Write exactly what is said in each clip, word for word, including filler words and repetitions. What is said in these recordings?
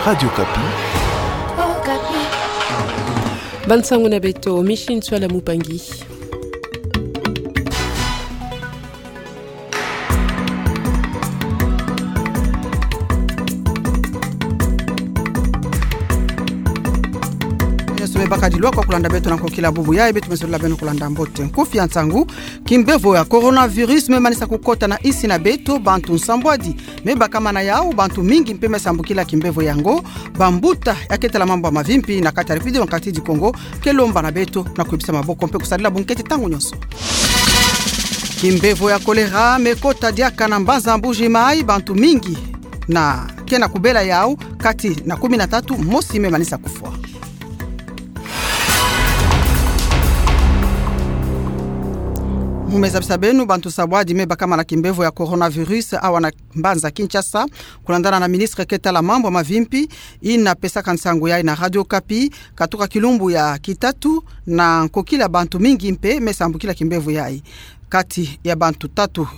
Radio Okapi. Bansango na beto, Micheline Tsoala Mupangi. Nyonso me baka dilwa kwa kulanda beto na nkokila bubu yayi, beto me zolila beno kulanda mbote. Nkufi ya nsangu: kimbevo ya coronavirus me manisa kukota na insi na beto. Bantu nsambwadi me bakamana yau, bantu mingi mpe me sambukila kimbevo yango. Bambuta ya ketala mambu ya mavimpi na kati ya République Démocratique du Congo ke lomba na beto na kuyebisa maboko mpe kusadila bunkete ntangu nyonso. Kimbevo ya choléra me kota diaka na mbanza Mbuji Mayi, bantu mingi na ke na kubela yau, kati na kumi na tatu, mosi me manisa kufwa. Mu me zabisa beno, bantu nsambwadi me bakamana kimbevo ya coronavirus awa na mbanza Kinshasa, kulandana na ministre ketala mambu ya mavimpi, yina pesaka nsangu yayi na Radio Okapi, katuka kilumbu ya kitatu, na nkokila bantu mingi mpe me sambukila kimbevo yayi. Kati ya bantu tatu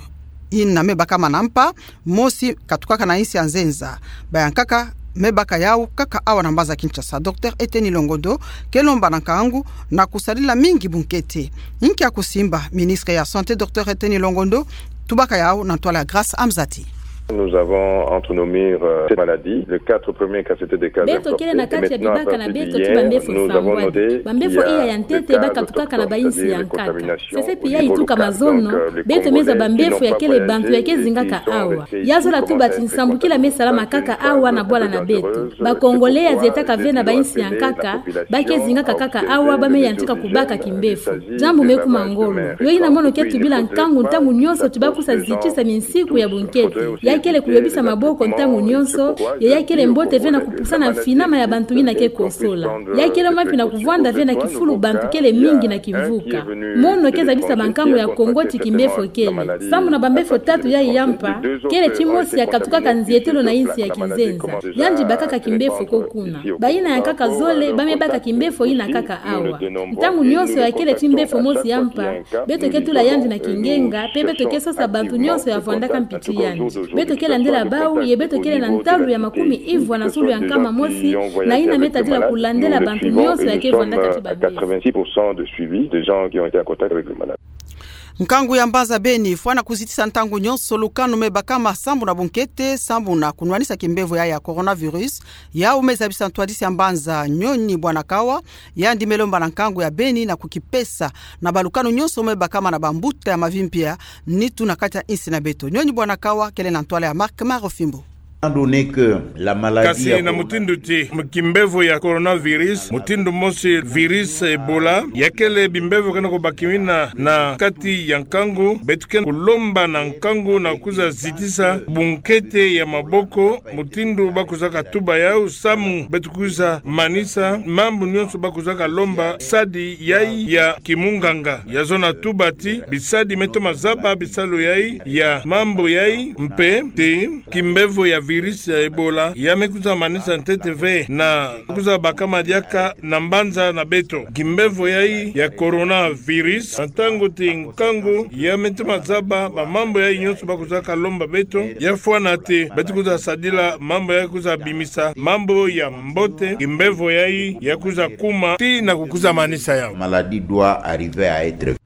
yina me bakamana mpa, mosi katukaka na insi ya nzenza. Bayankaka me baka yau kaka awa na mbanza Kinshasa. Docteur Eteni Longondo ke lomba na nkangu na kusadila mingi bunkete. Nkia kusimba? Ministre ya Santé, Docteur Eteni Longondo, tubaka yau na ntwala ya Grace Amzati. Nous avons, entre nos murs, euh, cette maladie. Les quatre premiers cas, c'était des cas importés. Beto kele na kati ya bibaka na beto ti bambefo sambwadi. Bambefo iya ya ntete bakatukaka na bainsi ya nkaka. Sese pi yayi tuka mazono, beto me zaba mbefo ya kele bantu ya ke zingaka awa. Ya zola tuba ti nsambukila me salama kaka awa na bwala na beto. Ba Congolais ya zietaka ve na bainsi ya nkaka ba ke zingaka kaka awa, ba me yantika kubaka kimbefo. Diambu me kuma ngolo. Yo yina mono ke tubila nkangu ntangu nyonso ti ba kusa zitisa minsiku ya bunkete. Ya kele kuyobisa maboko ntangu nyonso, yo ya kele mbote ve na kupusana mfinama ya bantu yina ke kosola. Ya kele mapi na kuvwanda ve na kifulu bantu kele mingi na kimvuka. Mono ke zabisa bankangu ya Kongo ti kimbefo kele. Sambu na bambefo tatu yayi ya mpa, kele timosi ya katukaka nzietelo na insi ya kinzenza. Yandi bakaka kimbefo ko kuna. Bayina yankaka zole, ba me baka kimbefo yina kaka awa. Ntangu nyonso ya kele timbefo mosi ya mpa, beto ke tula yandi na kingenga, pe beto ke sosa bantu nyonso ya vwandaka mpiti yandi. Beto ke landila bau, ye beto kele na ntalu ya makumi ivwa na zulu ya nkama mosi, na yina me tadila kulandela bantu nyonso ya ke vwandaka ti bambefo. Quatre-vingt-six pour cent de suivi des gens qui ont été en contact avec le malade. Nkangu ya mbanza Beni fwana kuzitisa ntangu nyonso lukanu me bakama sambu na bunkete, sambu na kunwanisa kimbevo yayi ya coronavirus. Yau me zabisa ntwadisi ya mbanza Nyoni Bwanakawa, yandi me lomba na nkangu ya Beni na kukipesa na balukanu nyonso me bakama na bambuta ya mavimpi ya nitu na kati ya insi na beto. Nyoni Bwanakawa kele na ntwala ya Marc Marofimbo. Kasi na mutindu ti kimbevo ya coronavirus, mutindu mosi virus Ebola, ya kele bimbevo ke na kubakimina na kati ya nkangu, beto ke kulomba na nkangu na kuza zitisa bunkete ya maboko, mutindu ba kuzaka tuba yau, samu beto kuza manisa mambu nyonso ba kuzaka lomba, sadi yayi ya kimunganga. Ya zona tuba ti bisadi me toma zaba bisalu yayi ya mambu yayi, mpe ti kimbevo ya virus ya Ebola ya me kuza manisa ntete ve na kuza bakama diaka na mbanza na beto kimbevo yayi ya coronavirus. Na ntangu ti nkangu ya me toma zaba bamambu yayi nyonso ba kuzaka lomba beto, ya fwana ti beto kuza sadila mambu yayi, kuza bimisa mambu ya mbote, kimbevo yayi ya kuza kuma tii na kukuza manisa yau. Maladie doit arriver à être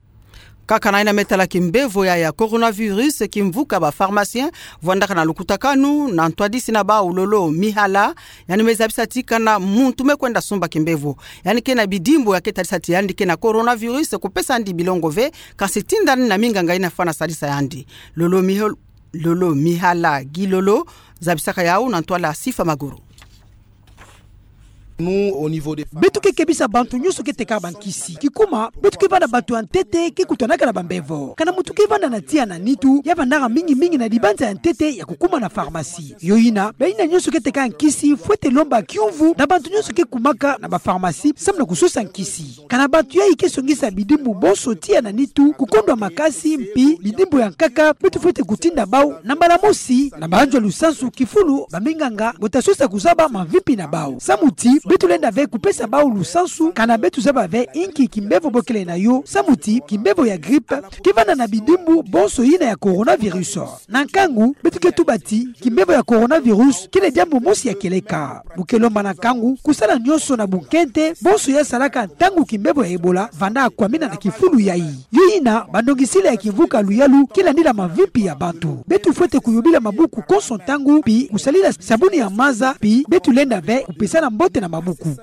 Kaka na yina me tala kimbevo yayi ya coronavirus, kimvuka ba pharmaciens vwandaka na lukutakanu na ntwadisi na bau Lolo Mihala, yandi me zabisa ti kana muntu me kwenda sumba kimbevo, yandi ke na bidimbu ya ke tadisa ti yandi ke na coronavirus, kupesa yandi bilongo ve, kasi tinda yandi na minganga yina fwana sadisa yandi. Lolo Miho-, Lolo Mihala Gilolo zabisaka yau na ntwala Sifa Maguru. Beto ke kebisa bantu nyonso ke teka bankisi. Kikuma, beto ke vanda bantu ya ntete ke kutanaka na bambevo. Kana muntu ke vanda na tiya na nitu, ya vandaka mingi mingi na libanza ya ntete ya kukuma na pharmacie. Yo yina, bayina nyonso ke teka nkisi fwete lomba kiumvu na bantu nyonso ke kumaka na bapharmacie, samu na kusosa nkisi. Kana bantu yayi ke songisa bidimbu bonso tiya na nitu, kukondwa makasi, mpi bidimbu ya nkaka, beto fwete kutinda bau na mbala mosi na bayanzwa lusansu kifulu baminganga bo ta sosa kuzaba mamvimpi na bau. Samu ti beto lenda ve kupesa bawu lusansu, kana beto zaba ve inki kimbevo bo kele na yo, samu ti kimbevo ya grippe kevanda na bidimbu bonso yina ya coronavirus. Na nkangu, beto ke tuba ti kimbevo ya coronavirus kele diambu mosi ya kieleka. Bo ke lomba na nkangu kusala nyonso na bunkente, bonso ya salaka ntangu kimbevo ya Ebola vanda kwamina na kifulu yayi. Yo yina, bandongisila ya kimvuka luyalu ke landila mavimpi ya bantu. Beto fwete kuyobila mabuku konso ntangu, pi kusalila sabuni ya maza, pi beto lenda ve kupesana mbote na mabuku.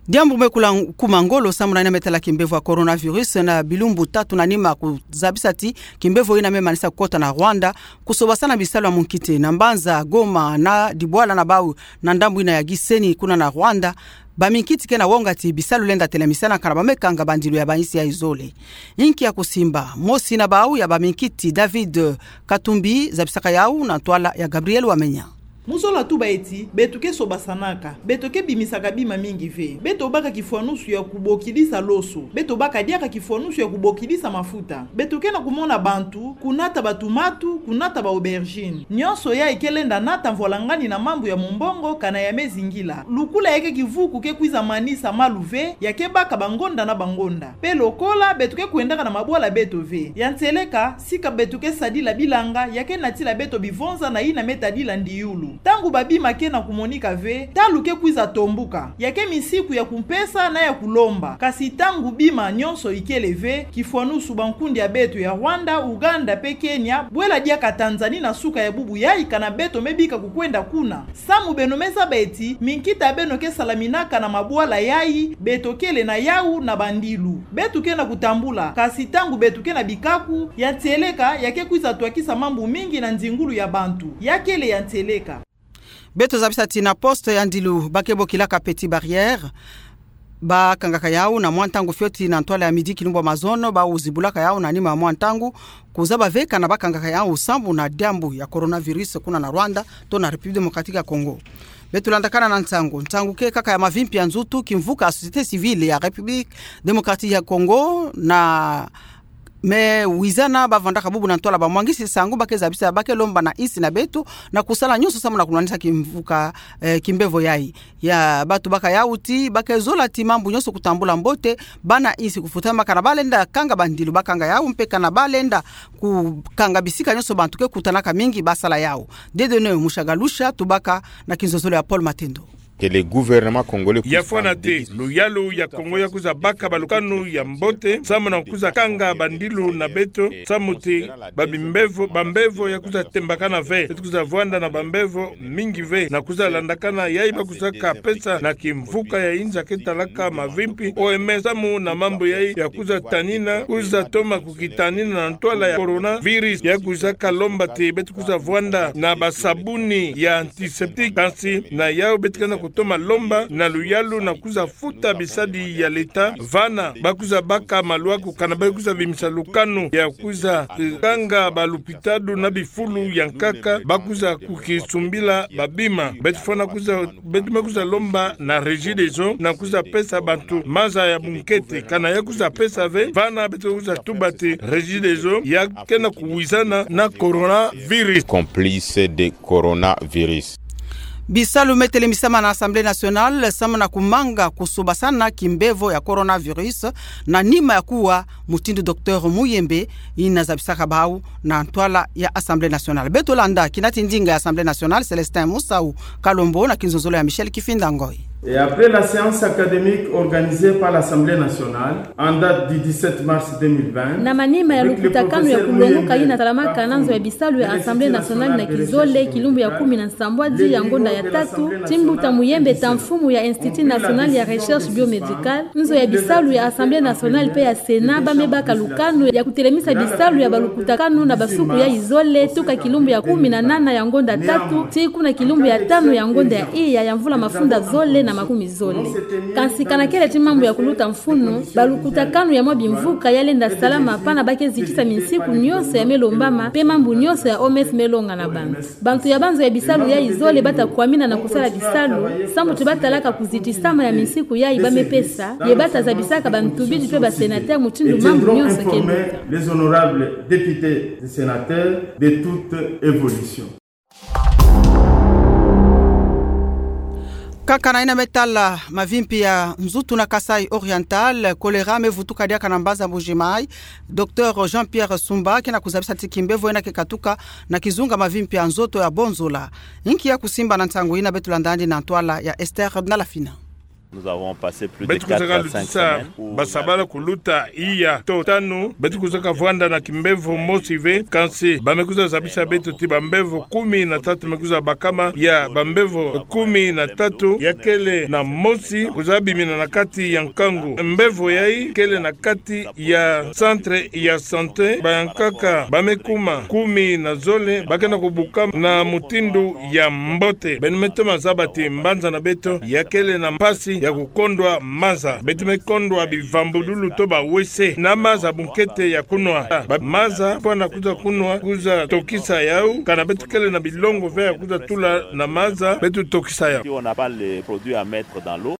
Diambu me kula kuma ngolo samu na yina me tala kimbevo ya coronavirus na bilumbu tatu na nima kuzabisa ti kimbevo yina me manisa kukota na Rwanda, kusobasana bisalu ya munkiti na mbanza Goma na dibwala na bawu na ndambu yina ya Gisenyi kuna na Rwanda. Baminkiti ke na wonga ti bisalu lenda telamisana kana ba me kanga bandilu ya bansi yayi zole. Inki ya kusimba, mosi na bawu ya baminkiti David Katumbi zabisaka yawu na ntwala ya Gabriel Wamenya. Mu zola tuba ti beto ke sobasanaka, beto ke bimisaka bima mingi ve, beto baka kifwanusu ya kubokidisa loso, beto baka diaka kifwanusu ya kubokidisa mafuta, beto ke na kumona bantu kunata batumatu, kunata ba aubergine. Nyonso yayi ke lenda nata mvwalangani na mambu ya mumbongo kana ya me zingila. Lukula ya ke kivuku ke kwiza manisa malu ve, ya ke baka bangonda na bangonda. Pe lokola beto ke kwendaka na mabwala beto ve. Ya ntieleka, sika beto ke sadila bilanga, ya ke natila beto bivonza na yina me tadila ndiulu. Ntangu babima ke na kumonika ve, ntalu ke kwiza tombuka. Ya ke misiku ya kumpesa na ya kulomba. Kasi ntangu bima nyonso ikele ve, kifwanusu bankundi ya beto ya Rwanda, Uganda pe Kenya bwela diaka Tanzanie na suka ya bubu yayi kana beto me bika kukwenda kuna. Samu beno me zaba ti minkita beno ke salaminaka na mabwala yayi, beto kele na yawu na bandilu. Beto ke na kutambula, kasi ntangu beto ke na bikaku, ya ntieleka ya ke kwiza twakisa mambu mingi na nzingulu ya bantu. Ya kele ya ntieleka. Beto zabisa ti na poste ya ndilu ba ke bokilaka Petite Barrière, ba kangaka yawu na mwa ntangu fioti na ntwala ya midi kilumbu ya mazono, bawu zibulaka yawu na nima ya mwa ntangu, kuzaba ve kana ba kangaka yawu sambu na diambu ya coronavirus kuna na Rwanda to na République Démocratique ya Congo. Beto landakana na nsangu. Nsangu ke kaka ya mavimpi ya nzutu, kimvuka ya société civile ya République Démocratique ya Congo na me wizana ba vandaka bubu na ntwala ba mwangisi nsangu, ba ke zabisa, ba ke lomba na insi na beto na kusala nyonso sambu na kumanisa kimvuka, eh, kimbevo yayi. Ya bato baka yawu ti ba ke zola ti mambu nyonso kutambula mbote, bana insi kufutama, kana ba lenda kanga bandilu ba kanga yawu, mpe kana ba lenda kukanga bisika nyonso bantu ke kutanaka mingi ba sala yawu. Dieudonné Mushagalusha tubaka na kinzonzolo ya Paul Matendo. Que le gouvernement congolais puisse prendre des dispositions. Ya fwana te luyalu ya Congo ya kwiza baka balukanu ya mbote, sambu na kwiza kanga bandilu na beto, sambu ti ba bimbevo, bambevo ya kwiza tembakana ve, beto kwiza vwanda na bambevo mingi ve, na kwiza landakana yayi ba kwizaka pesa na kimvuka ya inza ke talaka mavimpi, O M S, sambu na mambu yayi ya kwiza tanina, kwiza toma kukitanina na ntwala ya coronavirus, ya kwizaka lomba ti beto kwiza vwanda na basabuni ya antiseptique, kasi na yawu beto ke na kutoma lomba na luyalu na kwiza futa bisadi ya l'État, vana ba kwiza baka maluaku kana ba kwiza bimisa lukanu ya kwiza, eh, kanga balupitalu na bifulu ya nkaka, ba kwiza kukisumbila babima. Beto fwana kwiza, beto me kwiza lomba na Regideso na kwiza pesa bantu maza ya bunkete, kana ya kwiza pesa ve, vana beto kwiza tuba ti Regideso ya ke na kuwizana na coronavirus. Complice de coronavirus. Bisalu me telemisama na Assemblée nationale sambu na kumanga kusobasana kimbevo ya coronavirus na nima ya kuwa, mutindu Docteur Muyembe yina zabisaka bawu na ntwala ya Assemblée nationale. Beto landa kinati ndinga ya Assemblée nationale, Célestin Musau Kalombo, na kinzonzolo ya Michel Kifinda Ngoi. Et après la séance académique organisée par l'Assemblée nationale en date du dix-sept mars deux mille vingt, na manima ya lukutakanu ya kulongoka yina salamaka na nzo ya bisalu ya Assemblée nationale na kizole, kilumbu ya kumi na nsambwadi ya ngonda ya tatu, ti mbuta Muyembe ta mfumu ya Institut national ya recherche biomédicale, nzo ya bisalu ya Assemblée nationale mpe ya Sénat ba me baka lukanu ya kutelemisa bisalu ya balukutakanu na basuku ya izole, tuka kilumbu ya kumi na nana ya ngonda tatu tii kuna kilumbu ya tanu ya ngonda ya iya ya mvula mafunda zole na makumi zole. Kansi kana kele ti mambu ya kuluta mfunu, balukutakanu ya mwa bimvuka ya lenda salama pana ba ke zitisa minsiku nyonso ya me lombama mpe mambu nyonso ya O M S me longa na bantu. Bantu ya banzo ya bisalu ya izole ba ta kwamina na kusala bisalu, sambu ti ba talaka kuzitisama ya minsiku yayi ba me pesa, ye ba ta zabisaka bantubidi mpe ba sénateurs mutindu mambu nyonso ke luta. Les honorables députés et sénateurs de toute évolution. Nkaka na ina me tala mavimpi ya nzutu na Kasaï Oriental, choléra mevutuka diaka na mbaza Mbuji-Mayi. Docteur Jean-Pierre Sumba kena kuzabisa ti kimbevo ina kekatuka na kizunga mavimpi ya nzoto ya bonzola. Nki ya kusimba na ntangu ina? Beto landa andi na ntwala ya Esther Nalafina. Beto kwiza kalutisa basabala kuluta iya to tanu. Beto kwiza kavwanda na kimbevo mosi ve, kansi ba me kwiza zabisa beto ti bambevo kumi na tatu me kwiza bakama. Ya bambevo kumi na tatu ya kele na mosi kwiza bimina na kati ya nkangu. Mbevo yayi kele na kati ya centre ya santé. Bayankaka ba me kuma kumi na zole, ba kena kubukama na mutindu ya mbote. Beno me toma zaba ti mbanza na beto ya kele na mpasi ya kukondwa maza. Beto me kondwa bivambululu to ba-WC na maza bunkete ya kunwa. Ba maza mpo na kwiza kunwa, kwiza tokisa yau, kana beto kele na bilongo ve ya kwiza tula na maza, beto tokisa yau. Si on n'a pas les produits à mettre dans l'eau.